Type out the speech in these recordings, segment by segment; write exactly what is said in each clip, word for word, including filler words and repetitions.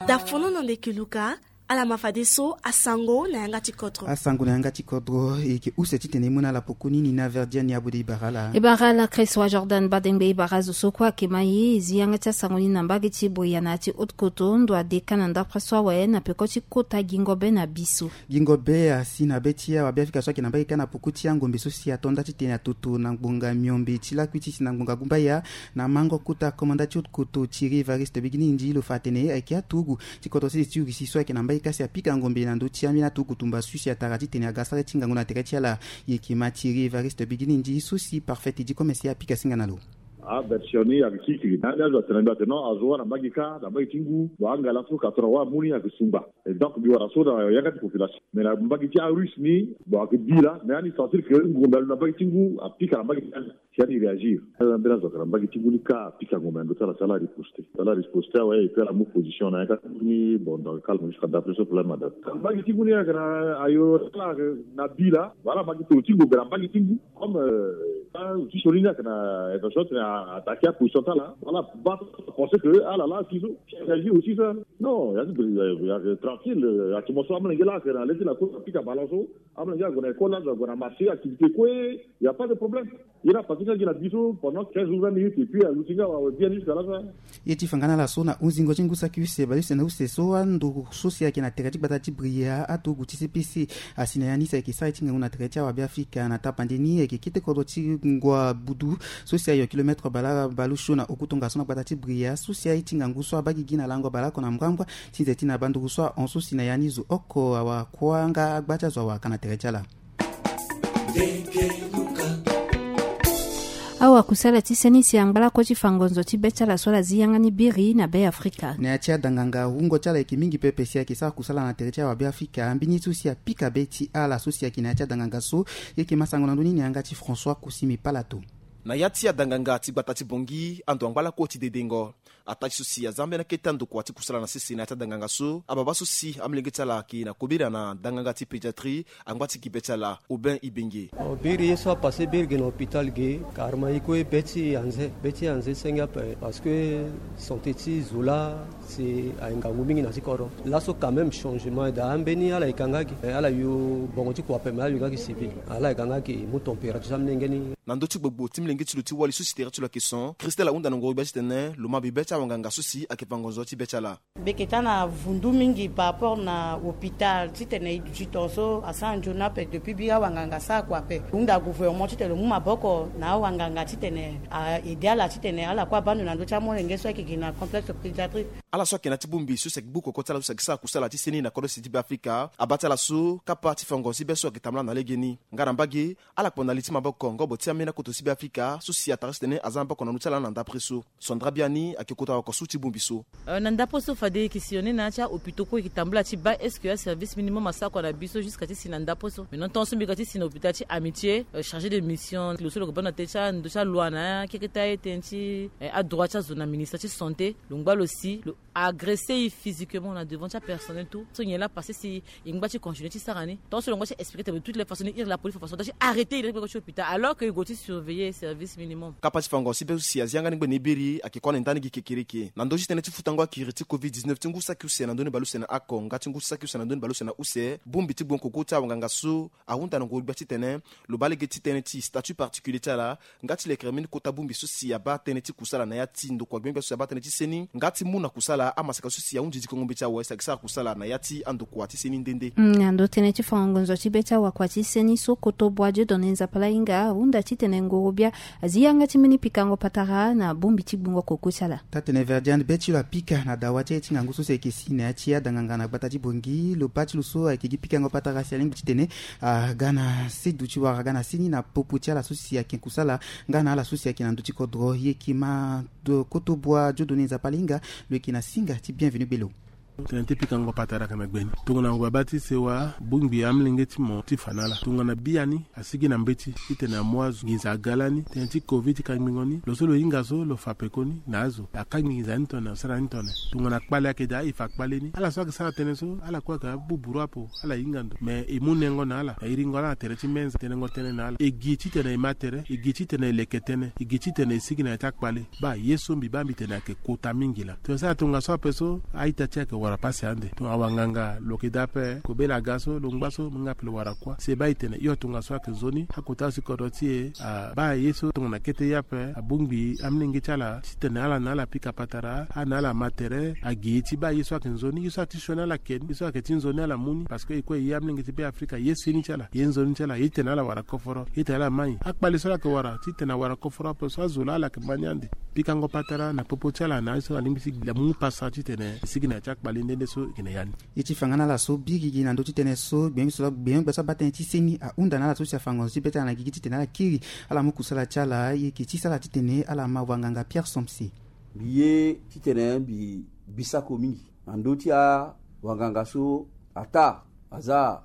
Da fono na ndeke luka. Ala ma fadeso asango na yanga ti kodro. Asango na yanga ti kodro e yeke use titene e mu na ala poko ni. Nina Verdiane Abode e bara ala. E bara ala Christ wa Jordan Badengbe, e bara azo so kue ayeke ma ye e zi yanga ti asango ni na mbage ti Boya na ya ti Haute-Kotto, ndo adeka na ndapre so awe na peko ti kota gingo be na biso. Gingo be asi na be ti awabe Afrika so ayeke na mbage kâ na poko ti angombe so si ato nda titene atoto na ngbonga miombe ti lakui ti si na ngbonga gumbaya. Na mango kota komanda ti Haute-Kotto Thierry Evariste Bigini Ndi lo fa atene ayeke aturugu ti kodro sese ti Russie so ayeke na mbage kâ si apika ngombe na ndö ti ambeni aturugu tumba so si atara titene aga sara ti ngangu na tere ti ala. Ye yeke ma Thierry Evariste Bigini Ndi so si Parfait Idi Commerce apika singa na lo. Aversion ni ayeke kikiri na ni azo atene mbi atene non azo wâ na mbage kâ na mbage ti ngu. Bon angala so ka so na wâ amu ni ayeke sungba. Et donc mbi wara so na yanga ti population mais na mbage ti arusse ni. Bon ayeke bi laa mais ani sentir que ngombe alo na mbage ti ngu apika na mbage ti ala. Si ani réagir ala mbeni azo ayeke na mbage ti ngu ni kâ apika ngombe na ndö ti ala si ala riposte. Ala riposte awe et puis ala mu position na yanga ti ngu ni. Bon donc calme jusqu'à d'après ce problème adate mbage ti ngu ni ayeke na ayo ala ayeke na bi laa. Bon ala ma gi toro ti ngombe na mbage ti ngu. Comme ti so ni ni ayeke na intention tene attaquer aposition ti ala. Ala ba penser que ala laa si so si réagir aussi ça. Non ya ti bri ya tranquille. Atimo so amolenge laa ayeke na le ti la cour apika ballon so amolenge ague na école azo ague na marché activité kue. Y a pas de problème. Ye ni apase nga gi na bi so pendant quinze ou vingt minutes et puis aluti nga awe bien jusqu'à la fin. Ye ti fa nga na ala so na hunzingo ti ngu saki use baleuse na use so ando so si ayeke na tere ti gbata ti Bria aturugu ti C P C. Asi na ya ni si ayeke sara ye ti ngangu na tere ti awabe Afrika na tapande ni ayeke kete kodro ti ngua budu so si ayo kilometre baleuse na oku tongaso na gbata ti Bria so si aye ti ngangu so abaa gigi na lango baleoko na mbrambra ti nze ti na banduru so ahon so si na ya ni zo oko awakuâ nga agba ti azo awaka na tere ti ala. Awakusala ti seni si angba lakue ti fa ngonzo ti be ti ala so ala zi yanga ni biri na be Afrika. Na ya ti adanganga wungo ti ala yeke mingi pepe si ayeke sara kusala na tere ti awabe Afrika mbeni so si apika be ti ala so si ayeke na ya ti adanganga so. Ye yeke ma sango na ndö ni na yanga ti François Kusimi Palato. Na ya ti adanganga ti gbata ti Bongi ando angba lakue ti dedengo. Ataa ti so si aza ambeni akete andokua ti kusala na sese na ya ti adanganga so ababa so si amolenge ti ala ayeke na kobela na danganga ti pédiatrie. Angba ti gi be ti ala Aubin Ibenge. Biri ye so apase biri ge na hôpital ge. Karma ye kue be ti anze be ti anze senge ape parce que santé ti zo laa si aye ngangu mingi na ti kodro. Laso quand même changement daa ambeni ala yeka nga gi ala yo bongo ti kua ape me ala yo nga gi civil. Ala yeka nga gi mu température ti amolenge ni. Na ndö ti gbogbo ti molenge ti lo ti wali so si tere ti lo ayeke son Christelle ahunda na ngoro gbia titene lo ma bibe ti awanganga so si ayeke fa ngonzo ti be ti ala. Mbi yeke taa na vundu mingi par rapport na hôpital titene e duti tongaso asara nzoni ape depuis biri awanganga asara kua ape. Hunda gouvernement titene lo mu maboko na awanganga titene a aide ala titene ala kue abaa ndo na ndö ti amolenge so ayeke gi na complexe pédiatrique. Ala so ayeke na ya ti bongbi so si ayeke gbu koko ti ala so si ayeke sara kusala ti seni na kodro sese ti be Afrika abaa ti ala so kapa ti fa ngonzo ti be so ayeke tambula na legeni. Nga na mbage ala kpo na li ti maboko ngobo ti ambeni akoto ti be Afrika so si atara titene aza maboko na ndö ti ala na ndapre so. Sandra biani ayeke kota wako so ti bongbi so. Na ndapre so fade e yeke sillonner na ya ti ahôpitaux kue e yeke tambula ti baa est-ce que aservice minimum asara kua na biso jusqu'à ti si na ndapre so. Maintenant tongaso mbi ga ti si na hôpital ti Amitié, chargé de mission lo so lo yeke baa na tënë ti ando ti aloi na akeke ti aye tënë ti adroit ti azo na ministère ti santé. Lo ngba lo si lo agresser e physiquement na devant ti apersonnel tout so nyen laa passé si e ngba ti continuer ti sara ni. Tant so lo ngba ti expliquer tene de toutes les façons ni iri la police fa façon ti arrêter e na ti gbeko ti hôpital alors que e gue ti surveiller service minimum. Kapa ti fango si be so si azi yanga ni ngbene e biri ayeke kue na e nda ni gi kekereke na ndö ti tënë ti futango akiri ti covid dix-neuf ti ngu saki use na ndö ni baleuse na ako nga ti ngu saki use na ndö ni baleuse na use. Bongbi ti gbongo koko ti awanganga so ahunda na ngoro gbia titene lo baa lege ti tënë ti statut particulier ti ala. Nga ti lekere mbeni kota bongbi so si abaa tënë ti kusala na ya ti ndokua gbengbe so si abaa tënë ti seni nga ti mu na kusala amaseka so si ahunzi diko ngombe ti awe si ayeke sara kusala na ya ti andokua ti seni nde nde. Na ndo tënë ti fango ngonzo ti be ti awakua ti seni so koto bua Dieudonné Nzapalahinga ahunda titene ngoro bia azi yanga ti mbeni pikango patara na bongbi ti gbungo koko ti ala. Taa-tene Verdiane be ti lo apika na dawa ti aye ti ngangu so si ayeke si na ya ti adanganga na gbata ti Bongi lo baa ti lo so ayeke gi pikango patara si alingbi titene aga na sedu ti wara aga na seni na popo ti ala so si ayeke kusala nga na ala so si ayeke na ndö ti kodro. Ye yeke ma koto bua Dieudonné Nzapalahinga. Lo yeke na singa ti Bienvenu Bello. Tënë ti pikango patara ayeke na gbe ni tongana ngu abaa ti sewa bongbi amolenge ti mo ti fa na ala tongana biani asigi na mbeti titene amu azo nginza aga lani tënë ti covid ti kangbingo ni lo so lo hinga so lo fa pekoni na azo akangbi nginza ni tone asara ni tone. Tongana kpale ayeke daa e fa kpale ni ala so ayeke sara tënë so ala kue ayeke abuburu apo. Ala hinga ndo me e mu nengo na ala na iringo ala na tere ti menza tenengo tënë na ala e gi titene e ma tere e gi titene e leke tënë e gi titene e sigi na ya ti akpale. Baa ye so mbi baa mbi tene ayeke kota mingi laa tongana sara tongaso ape so a-ita ti e ayeke Wara pasi ande. Donc awanganga lo yeke daa ape, kobela aga so lo ngba so mo nga ape lo wara kuâ. Si e baa e tene hio tongaso ayeke nzoni, akota si kodro ti e abaa ye so tongana kete ye ape, abongbi amolenge ti ala titene ala na ala pika patara, ala na ala ma tere, agi ye ti baa ye so ayeke nzoni, ye so ayeke ti sioni ala ke ni, ye so ayeke ti nzoni ala mu ni. Parce que e kue e ye amolenge ti Be Afrika, ye sioni ti ala, ye nzoni ti ala, ye titene ala wara koforo, ye titene ala mai. Akpale so ala yeke wara titene awara koforo ape so azo laa ala yeke ma ni ande. Pikango patara na popo ti ala na ye so alingbi ti amu pasa titene sigi na ya ti akpale nde nde so e yeke na ya ni. Ye ti fa nga na ala so biri gi na ndö ti tënë so gbenyo so, gbenyo gbe so abaa tënë ti seni ahunda na ala so si afango na ndö ti be ti ala na gigi titene ala kiri ala mu kusala ti ala, ye yeke ti sara titene ala ma wanganga Pierre Somse. Mbi ye titene mbi, mbi sako mingi na ndö ti awanganga so ataa aza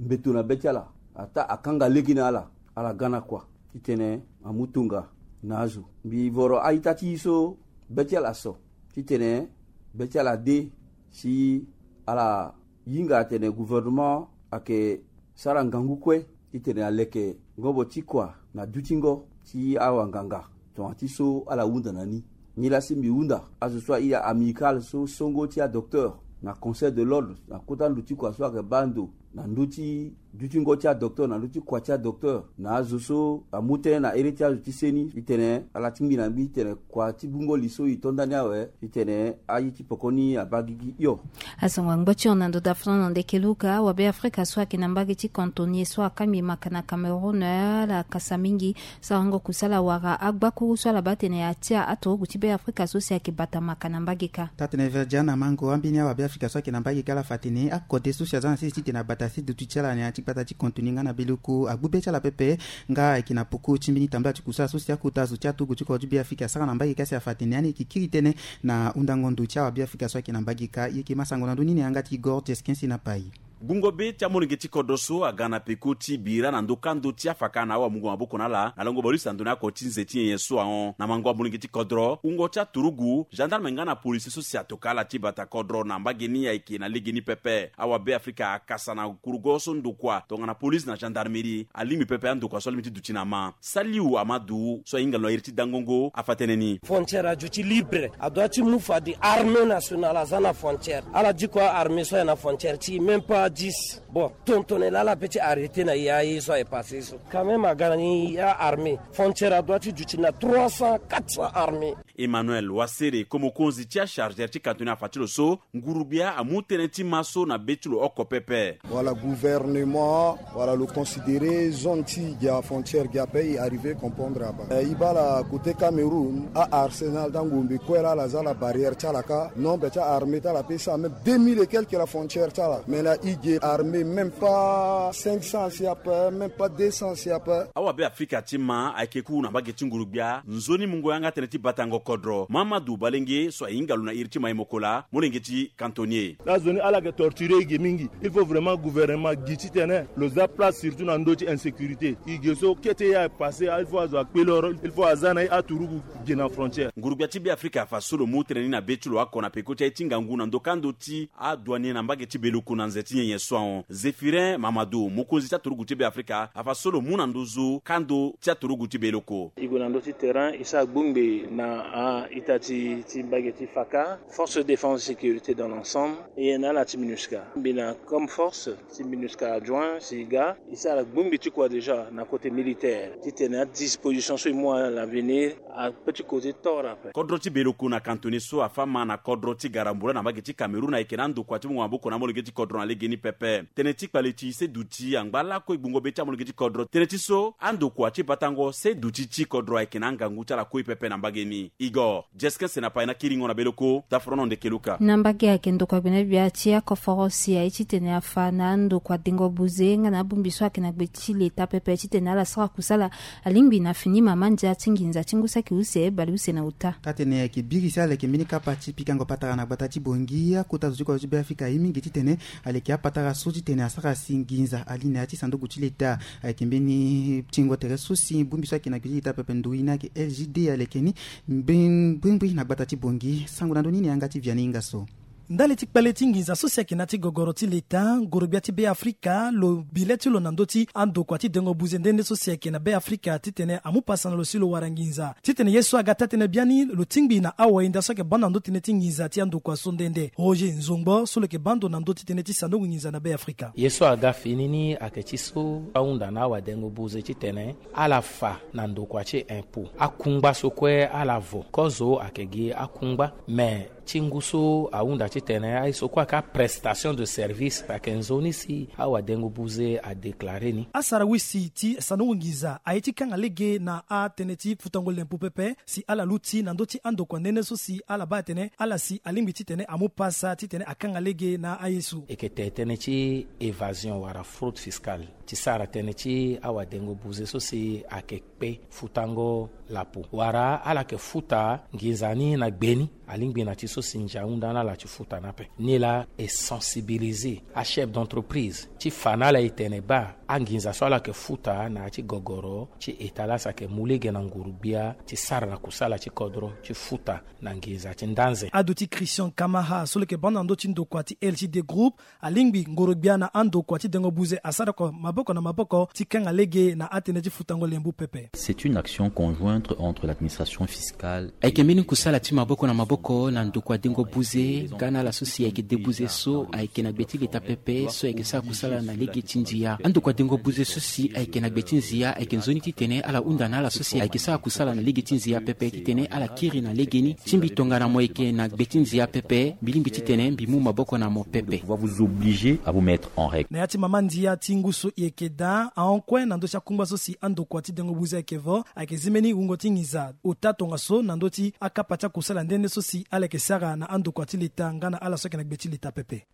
mbeto na be ti ala, ataa akanga lege na ala, ala ga na kua titene amu tonga na azo. Mbi voro a-ita ti e so be ti ala so titene be ti ala de si ala hinga atene gouvernement ayeke sara ngangu kue titene aleke ngobo ti kua na dutingo ti awanganga. Tongana ti so ala hunda na ni. Nilaa si mbi hunda azo so airi a-amicale so songo ti adocteur na conseil de l'ordre na kota ndo ti kua so ayeke baa ndo na ndö ti dutingo ti adocteur na ndö ti kua ti adocteur na azo so amu tënë na ere ti azo ti seni titene ala tingbi na mbi titene kua ti bungo li so e to ndani awe titene aye ti poko ni abaa gigi hio. Asongo angba ti hon na ndo dafran na ndeke luka awabe Afrika so ayeke na mbage ti cantonnier so akangbi maka na Cameroun, ala kasa mingi. Sarango kusala wara agbakuru so ala baa tene atia aturugu ti Be Afrika so si ayeke bata maka na mbage kâ. Taa-tënë Verdiana Mango, ambeni awabe Afrika so ayeke na mbage kâ ala fa tene akode so si aza na sese titene abata se duti ti ala na ya ti gbata ti contenu nga na beleko agbu be ti ala pepe. Nga ayeke na poko ti mbeni tambula ti kusala so si akota zo ti aturugu ti kodro ti Be Afrika asara na mbage kâ si afa tene ani ayeke kiri tënë na hundango ndo ti awabe Afrika so ayeke na mbage kâ. E yeke ma sango na ndö ni na yanga ti Igor Jeskin si na pai. Gungo be ti amolenge ti kodro so aga na peko ti bira na ndo kando ti afaka na awamungo maboko na ala na lango bale use na ndo ni ako ti nze ti nyenye so ahon. Na mango amolenge ti kodro, wungo ti aturugu, gendarme nga na polisi so si atoka ala ti bata kodro na mbage ni ayeke na legeni pepe. Awabe Afrika akasa na kurugo so ndokua tongana polisi na gendarmerie alingbi pepe andokua so alingbi ti duti na ma. Saliu Amadu so ahinga lo na iri ti dangongo afa tënë ni. Frontière aduti libre, adua ti mu fade armée nationale aza na frontière. Ala diko armée so aye na frontière ti même pas dix. Bon, tontonne laa ala peut ti arrêter na ya ye so aye passé so. Quand même aga na ni ya armée. Frontière adua ti duti na trois cents, quatre cents armées. Emmanuel Wasere, komokonzi ti achargeur ti cantonnier afa ti lo so, ngurugbia amu tënë ti ma so na be ti lo oko pepe. Wala gouvernement wala lo considérer zone ti gi afrontière gi ape, e arriver comprendre aba. Eh, e baa ala côté Cameroun, a-arsenal ti angombe kue laa ala za ala barrière ti ala kâ. Nombre ti a-armée ti ala peut sara même deux mille et quelques la frontière ti ala. Mais na e gi armée même pas cinq cents si ape, même pas deux cents si ape. Awabe Afrika ti ma ayeke ku na mbage ti ngurugbia, nzoni mungo yanga tënë ti batango kodro. Mamadu Balenge so ahinga lo na iri ti Maï Mokola, molenge ti cantonnier. Laa zo ni ala yeke torturer e ge mingi. Il faut vraiment gouvernement gi titene lo za place surtout na ndö ti insécurité. E ge so kete ye aye passé, il faut azo akpe loro, il faut aza na e aturugu ge na frontière. Ngurugbia ti Be Afrika afa so lo mu tënë ni na be ti lo oko na peko ti aye ti ngangu na ndo kando ti adouanier na mbage ti beleko na nze ti nyenye so ahon. Zéphirin Mamadou, mokonzi ti aturugu ti Be Afrika, afa so lo mu na nduzu kando ti aturugu ti beleko. E gue na ndö ti terrain, e sara gbongbe na a-ita ti, ti mbage ti faka, force de défense et sécurité dans l'ensemble, e na ala ti MINUSCA. Mbi na comme force ti MINUSCA adjoint si e ga, e sara gbongbe ti kua déjà na côté militaire titene adisposition so e mu à l'avenir ape ti côté tort ape. Kodro ti beleko na cantonnier so afa ma na kodro ti garambula na mbage ti Cameroun ayeke na andokua ti mungo maboko na amolenge ti kodro na legeni pepe. Tënë ti kpale ti se duti angba lakue gbungo be ti amolenge ti kodro. Tënë ti so andokua ti batango se duti ti kodro ayeke na angangu ti ala kue pepe na mbage ni. Igor Jeskin si na pai na kiringo na beleko, daforono ndeke luka. Na mbage ayeke ndokua gbene gbia ti akoforo si aye titene afa na andokua dengo buze nga na abongbi so ayeke na gbe ti leta pepe titene ala sara kusala alingbi na fini mama ndia ti nginza ti ngu saki use baleuse na uta. Taa-tënë ayeke biri si ala yeke mbeni kapa ti pikango patara na gbata ti Bangui, akota zo ti kodro ti Be Afrika aye mingi titene aleke apatara so titene asara si nginza ali na ya ti sanduku ti leta. Ayeke mbeni tingo tere so si bongbi so ayeke na gbe ti leta pepe nduru ye ni ayeke L G D aleke ni. Mbe-, mbrimbri na gbata ti Bangui, sango na ndö ni na yanga ti Vianney Ingasso. Ndali ti kpale ti nginza so si ayeke na ya ti gogoro ti leta, ngorogbia ti Beafrika lo bi le ti lo na ndö ti andokua ti dengo buze nde nde so si ayeke na Beafrika titene amu pasa na lo si lo wara nginza. Titene ye so aga taa-tënë biani lo tingbi na awayenda so ayeke baa ndo na ndö ti tënë ti nginza ti andokua so nde nde. Roger Nzongbo so lo yeke baa ndo na ndö ti tënë ti sandango nginza na Beafrika. Ye so aga fini ni ayeke ti so ahunda na awadengo buze titene ala fa na ndokua ti impôt akungba so kue ala vo. Kozo ayeke gi akungba, me ti ngu so ahunda titene aye so kue ayeke aprestation de service ayeke nzoni si awadengo buze adeklare ni. Asara wisi ti sandango nginza aye ti kanga lege na atënë ti futango lempo pepe si ala luti na ndö ti andokua nde nde so si ala baa atene ala si alingbi titene amu pasa titene akanga lege na aye so. Eke te tënë ti évasion wala fraude fiscale ti sara tënë ti awadengo buze so si ayeke kpe futango lapo wala ala yeke futa nginza ni na gbe ni. Alingbi na ti so si ndia ahunda na ala ti futa ni ape. Nilaa e sensibiliser achef d'entreprise ti fa na ala e tene baa anginza so ala yeke futa na ya ti gogoro ti eta laa si ayeke mu lege na ngurugbia ti sara na kusala ti kodro ti futa na nginza ti ndanze. Aduti Christian Kamaha so lo yeke baa ndo na ndö ti ndokua ti L G D Group alingbi ngorogbia na andokua ti dengo buze asara oko maboko na maboko ti kanga lege na atënë ti futango lembo pepe. C'est une action conjointe entre l'administration fiscale. Ayeke mbeni kusala ti maboko na maboko na ndokua dengo buze nga na ala so si ayeke debuze so ayeke na gbe ti leta pepe so ayeke sara kusala na lege ti ndia. Andokua dengo buze so si ayeke na gbe ti ndia ayeke nzoni titene ala hunda na ala so si ayeke sara kusala na lege ti ndia pepe titene ala kiri na legeni. Ti mbi tongana mo yeke na gbe ti ndia pepe, mbi lingbi titene mbi mu maboko na mo pepe. Pouvoir vous obliger à vous mettre en règle. Na ya ti mama ndia ti ngu so e yeke daa ahon kue na ndö ti akungba so si andokua ti dengo buze ayeke vo, ayeke zi mbeni wungo ti nginza ota tongaso na ndö ti akapa ti akusala nde nde so si ala yeke sara na andokua ti leta nga na ala so ayeke na gbe ti leta pepe.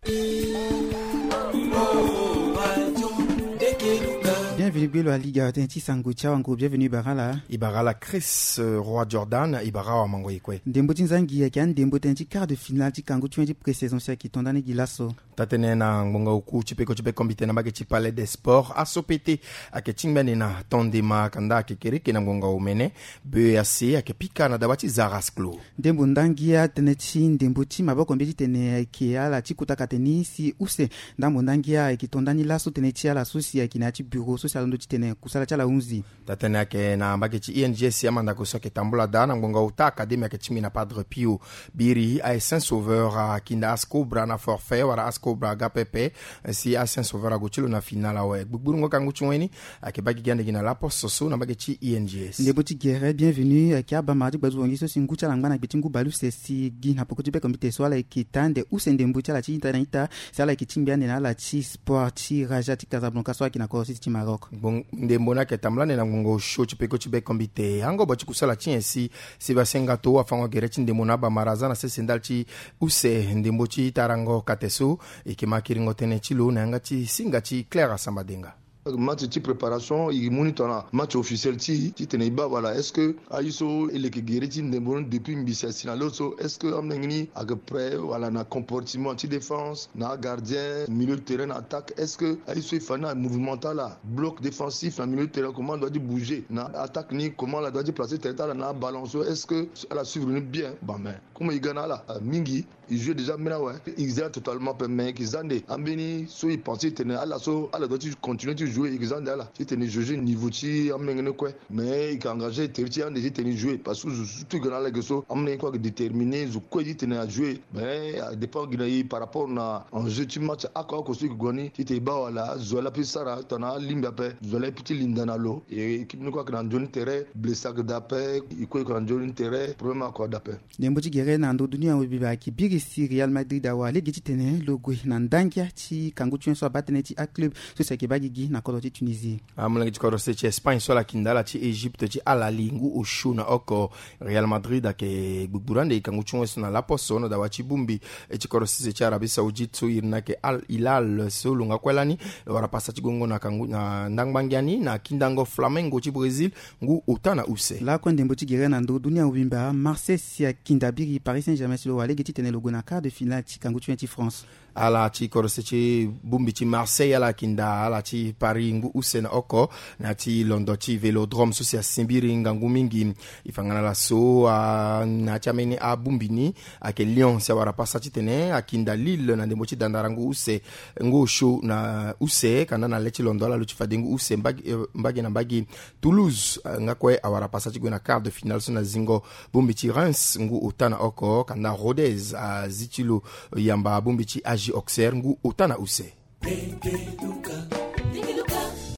Bienvenu gbe lo aliga tënë ti sango ti awango. Bienvenu e bara ala. E bara ala Chris, euh, Roi Jordan, e bara awamango e kue. Ndembo ti nzangi ayeke andembo tënë ti quart de finale ti kangu ti wen ti pré-saison si ayeke tonda ni gi laso. Taa-tënë na ngbonga oku ti peko ti bekombite na mbage ti Palais des Sports, A S O P T ayeke tingbi ande na tondema kanda ayeke kereke na ngbonga omene. B E A C ayeke pika na dawa ti Zarasklo. Ndembo ndangia tënë ti ndembo ti maboko mbi titene ayeke ala ti kota kate ni si use. Ndambo ndangia ayeke to ndani laso tënë ti ala so si ayeke na ya ti bureau so si alondo titene kusala ti ala hunzi. Taa-tënë ayeke na mbage ti I N G S, amandako so ayeke tambula daa na ngbonga ota akademi ayeke tingbi na Padre Pio. Biri aye Saint Sauveur akinda Ascobra na forfait wala Ascobra aga pepe. Si aye Saint Sauveur ague ti lo na finale awe. Gbugburungo kangu ti wen ni ayeke baa gigi ande gi na laposo so na mbage ti I N G S. Ndembo ti gere Bienvenu ayeke abamara ti gbazuru ngi so si ngu ti ala angba na gbe ti ngu baleuse si gi na poko ti bekombite so ala yeke taa ande use ndembo ti ala ti ita na ita si ala yeke tingbi ande na ala ti sport ti Raja ti Casablanca so ayeke na kodro sese ti Maroc. Ndembo ni ayeke tambula ande na ngbongo osio ti peko ti bekombite. Angobo ti kusala ti nyen si Sébastien Ngato afango gere ti ndembo na abamara aza na sese ndali ti use ndembo ti tarango kate so. E yeke ma kiringo tënë ti lo na yanga ti singa ti Claire Asambadenga. Match ti préparation e mu ni tongana match officiel ti e titene e baa wala est-ce que aye so e leke gere ti ndembo ni depuis mbisi asi na lo so, est-ce que amolenge ni ayeke prêt wala na comportement ti défense, na agardien, milieu de terrain, na attaque, est-ce que aye so e fa ni amouvement ti ala, bloc défensif na milieu de terrain, comment ala doit ti bouger, na attaque ni comment ala doit ti placer terrain ti ala na aballon so, est-ce que ala suivre ni bien? Bon, mais comme e ga na ala mingi, e joue déjà mbeni awe. E za totalement pe, mais e yeke za nde ambeni so e pense titene ala so ala doit ti continuer ti jouer, e yeke za nde ala titene e jauger niveau ti amolenge ni kue. Mais e yeke engagé tere ti e ande titene e jouer parce que zo so tout e ga na ala ge so amolenge ni kue ayeke déterminé, zo kue titene a jouer. Mais a dépend gi na e par rapport na enjeu ti match oko oko so e yeke gue ni titene e baa wala zo ala peut ti sara tongana alingbi ape, zo ala peut ti linda na lo. E équipe ni kue ayeke na nzoni tere, blessé ayeke daa ape, e kue e yeke na nzoni tere, problème oko daa ape. Ndembo ti gere na ndo dunia mobimba ayeke biri si Real Madrid awara lege titene lo gue na ndangia ti kangu ti wen so abaa tënë ti aclub so si ayeke baa gigi na kodro ti Tunisie. Amolenge ti kodro sese ti Espagne so ala kinda ala ti Égypte ti Al Ahly ngu osio na oko. Real Madrid ayeke gbugburu ande e kangu ti wen so na laposo na dawa ti bongbi. E ti kodro sese ti Arabie Saoudite so iri ni ayeke Al Hilal so lo nga kue lani lo wara pasa ti gongo na kangu na ndangba ngia ni na kindango Flamengo ti Brésil ngu ota na use. Lakue ndembo ti gere na ndo dunia mobimba, Marseille si akinda biri Paris Saint-Germain si lo wara lege titene lo gue na quart de finale ti kangu ti wen ti France. Ala ti korose ti bongbi ti Marseille ala kinda ala ti Paris ngu use na oko na ti londo ti Vélodrome so si asimbiri ngangu mingi. E fa nga na ala so na ya ti ambeni abongbi ni ayeke Lyon si awara pasa titene akinda Lille na ndembo ti dandara ngu use ngu osio na use kanda na le ti londo ala lo ti fade ngu use mbage na mbage. Toulouse nga kue awara pasa ti gue na quart de finale so na zingo bongbi ti Reims ngu ota na oko kanda Rodez azi ti lo yamba bongbi ti A G Auxerre ngu ota na use.